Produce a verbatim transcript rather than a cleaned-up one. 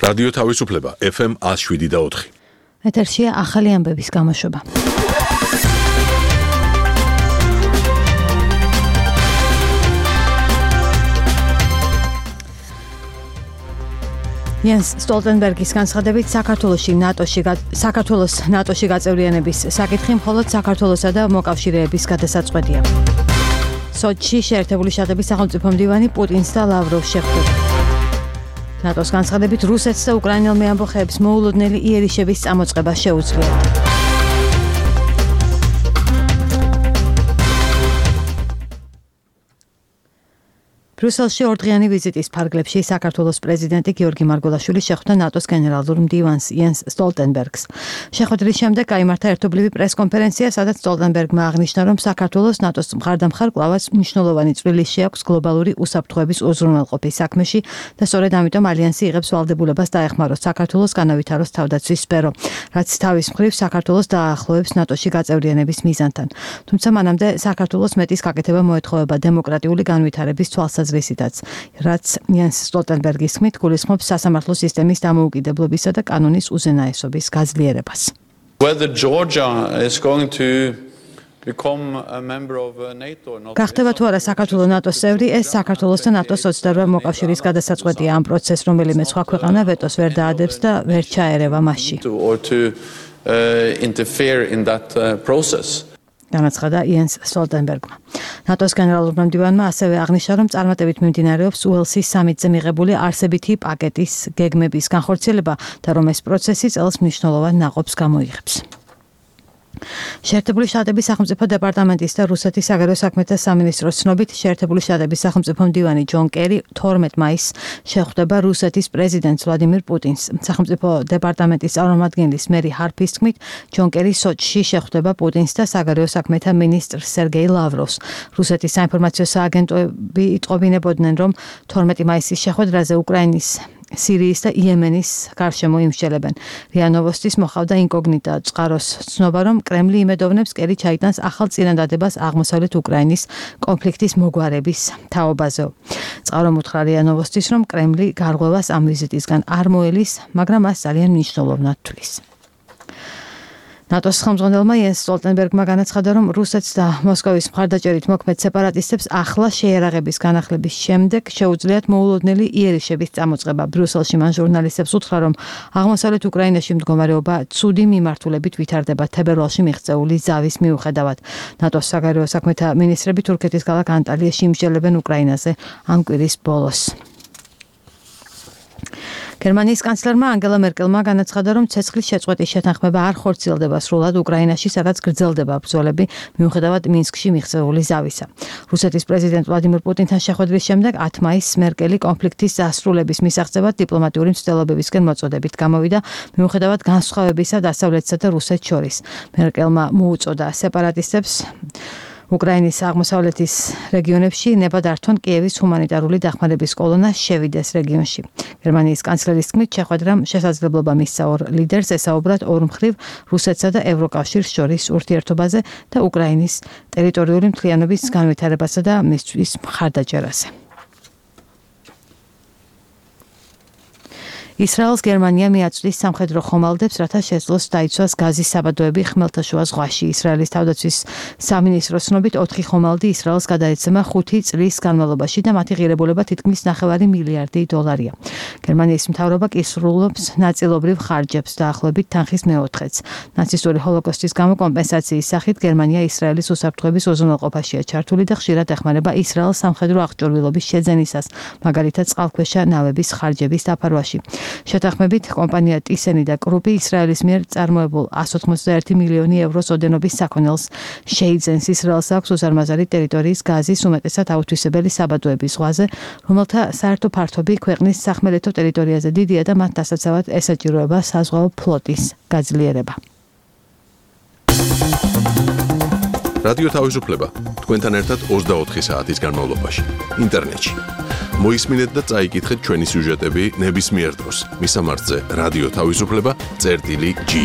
რადიო თავისუფლება ეფ ემ one oh seven და four. ეთერშია ახალი ამბების გამოშვება. Jens Stoltenbergis განცხადებით საქართველოში ნატოში საქართველოს ნატოში გაწევრიანების საკითხი მხოლოდ საქართველოსა და მოკავშირეების გადასაწყვეტია. სოჩში შეერთებული შტატების სახელმწიფო მდივანი პუტინს და ლავროვს შეხვდება. ნატოს განცხადებით რუსეთს და უკრაინელ მეამბოხეებს მოულოდნელი იერიშების წამოწყება შეუძლიათ. ბრიუსელში ორდღიანი ვიზიტის ფარგლებში საქართველოს პრეზიდენტი გიორგი მარგველაშვილი შეხვდა ნატოს გენერალურ მდივანს იენს სტოლტენბერგს. შეხვედრის შემდეგ გაიმართა ერთობლივი პრესკონფერენცია, სადაც სტოლტენბერგმა აღნიშნა, რომ საქართველოს ნატოს მხარდამხარ კლავაც მნიშვნელოვანი წვლილი შეაქვს გლობალური უსაფრთხოების უზრუნველყოფის საქმეში და სწორედ ამიტომ ალიანსი იღებს ვალდებულებას დაეხმაროს საქართველოს განავითაროს თავდაცვის სფერო, რაც თავის მხრივ საქართველოს დაახლოებს ნატოში გაწევრიანების მიზანთან. თუმცა მანამდე საქართველოს მეტის გაკეთება მოეთხოვება დემოკრატიული განვითარების თვალსაზრისით. რაც იენს სტოლტენბერგის თქმით გულისხმობს სასამართლო სისტემის დამოუკიდებლობისა და კანონის უზენაესობის გაძლიერებას. Whether Georgia is going to become a member of NATO or not. გახდება თუ არა საქართველოს ნატოს წევრი, ეს საქართველოს და ნატოს ოცდაორ მოკავშირის გადასაწყვეტია. ამ პროცესს რომელიმე სხვა ქვეყანა ვეტოს ვერ დაადებს და ვერ ჩაერევა მასში. Or to uh, interfere in that uh, process. განაცხადა იენს სტოლტენბერგმა. ნატოს გენერალურმა მდივანმა ასევე აღნიშნა, რომ წარმატებით მიმდინარეობს უელსის სამიტზე მიღებული არსებითი პაკეტის გეგმების განხორციელება და რომ ეს პროცესი წელს მნიშვნელოვან ნაყოფს გამოიღებს. შეერთებული შტატების სახელმწიფო დეპარტამენტის და რუსეთის საგარეო საქმეთა სამინისტროს ცნობით, შეერთებული შტატების სახელმწიფო მდივანი ჯონ კერი თორმეტ მაისს შეხვდება რუსეთის პრეზიდენტს ვლადიმირ პუტინს. სახელმწიფო დეპარტამენტის წარმომადგენლის მერი ჰარფის თქმით, ჯონ კერი სოჩში შეხვდება პუტინს და საგარეო საქმეთა მინისტრ სერგეი ლავროვს. რუსეთის საინფორმაციო სააგენტოები იტყობინებოდნენ, რომ თორმეტი მაისის შეხვედრაზე უკრაინის სირიის და იემენის გარშემო იმსჯელებენ. რია ნოვოსტის მოხავდა ინკოგნიტა წყაროს ცნობა, რომ კრემლი იმედოვნებს კერი ჩაიტანს ახალ წინადადებას აღმოსავლეთ უკრაინის კონფლიქტის მოგვარების თაობაზე. წყარო უთხრა რია ნოვოსტის, რომ კრემლი გარღვევას ამ ვიზიტისგან არ მოელის, მაგრამ მას ძალიან მნიშვნელოვნად თვლის. ნატოს ხელმძღვანელმა იენს სტოლტენბერგმა განაცხადა, რომ რუსეთს და მოსკოვის მხარდაჭერით მოქმედ სეპარატისტებს ახლა შეიარაღების განახლების შემდეგ შეუძლიათ მოულოდნელი იერიშების წამოწყება. ბრიუსელში მან ჟურნალისტებს უთხრა, რომ აღმოსავლეთ უკრაინაში მდგომარეობა ცუდი მიმართულებით ვითარდება თებერვალში მიღწეული ზავის მიუხედავად. ნატოს საგარეო საქმეთა მინისტრები თურქეთის ქალაქ ანტალიაში იმსჯელებენ უკრაინაზე ამ კვირის ბოლოს. გერმანიის კანცლერმა ანგელა მერკელმა განაცხადა, რომ ცეცხლის შეწყვეტის შეთანხმება არ ხორციელდება სრულად უკრაინაში, სადაც გრძელდება ბრძოლები, მიუხედავად მინსკში მიღწეული ზავისა. რუსეთის პრეზიდენტ ვლადიმირ პუტინთან შეხვედრის შემდეგ ათი მაისს მერკელი კონფლიქტის დასრულების მისაღწევად დიპლომატიური მცდელობებისკენ მოწოდებით გამოვიდა, მიუხედავად განსხვავებისა დასავლეთსა და რუსეთს შორის. მერკელმა მოუწოდა სეპარატისტებს უკრაინის აღმოსავლეთის რეგიონებში ნებადართონ კიევის ჰუმანიტარული დახმარების კოლონა შევიდეს რეგიონში. გერმანიის კანცლერის თქმით, შეხვედრამ შესაძლებლობა მისცა ორ ლიდერს ესაუბრათ ორმხრივ რუსეთსა და ევროკავშირს შორის ურთიერთობაზე და უკრაინის ტერიტორიული მთლიანობის განვითარებასა და მისთვის მხარდაჭერაზე. ისრაელს გერმანია მიაწვდის სამხედრო ხომალდებს, რათა შეძლოს დაიცვას გაზის საბადოები ხმელთაშუა ზღვაში. ისრაელის თავდაცვის სამინისტროს ცნობით ოთხი ხომალდი ისრაელს გადაეცემა ხუთი წლის განმავლობაში და მათი ღირებულება თითქმის ნახევარი მილიარდი დოლარია. გერმანიის მთავრობა კი სრულობს ნაწილობრივ ხარჯებს დაახლოებით თანხის მეოთხედს. ნაცისტური ჰოლოკოსტის გამო კომპენსაციის სახით გერმანია ისრაელის უსაფრთხოების უზრუნველყოფაშია ჩართული და ხშირად ეხმარება ისრაელს სამხედრო აღჭურვილობის შეძენისას, მაგალითად წყალქვეშა ნავების ხარჯების დაფარვაში. შეთანხმებით კომპანია ტისენი და კრუპი ისრაელის მიერ წარმოებულ one hundred eighty-one მილიონი ევროს ოდენობის საქონელს შეიძენს. ისრაელს აქვს უზარმაზარი ტერიტორიის გაზის უმეტესად აუთვისებელი საბადოების ზღვაზე, რომელთა საერთო ფართობი ქვეყნის სახმელეთო ტერიტორიაზე დიდია და მათ დასაცავად ესაჭიროება საზღვაო ფლოტის გაძლიერება. რადიო თავისუფლება თქვენთან ერთად ოცდაოთხი საათის განმავლობაში ინტერნეტში. მოისმინეთ და წაიკითხეთ ჩვენი სიუჟეტები ნებისმიერ დროს. მისამართზე რადიო თავისუფლება წერტილი ჯი.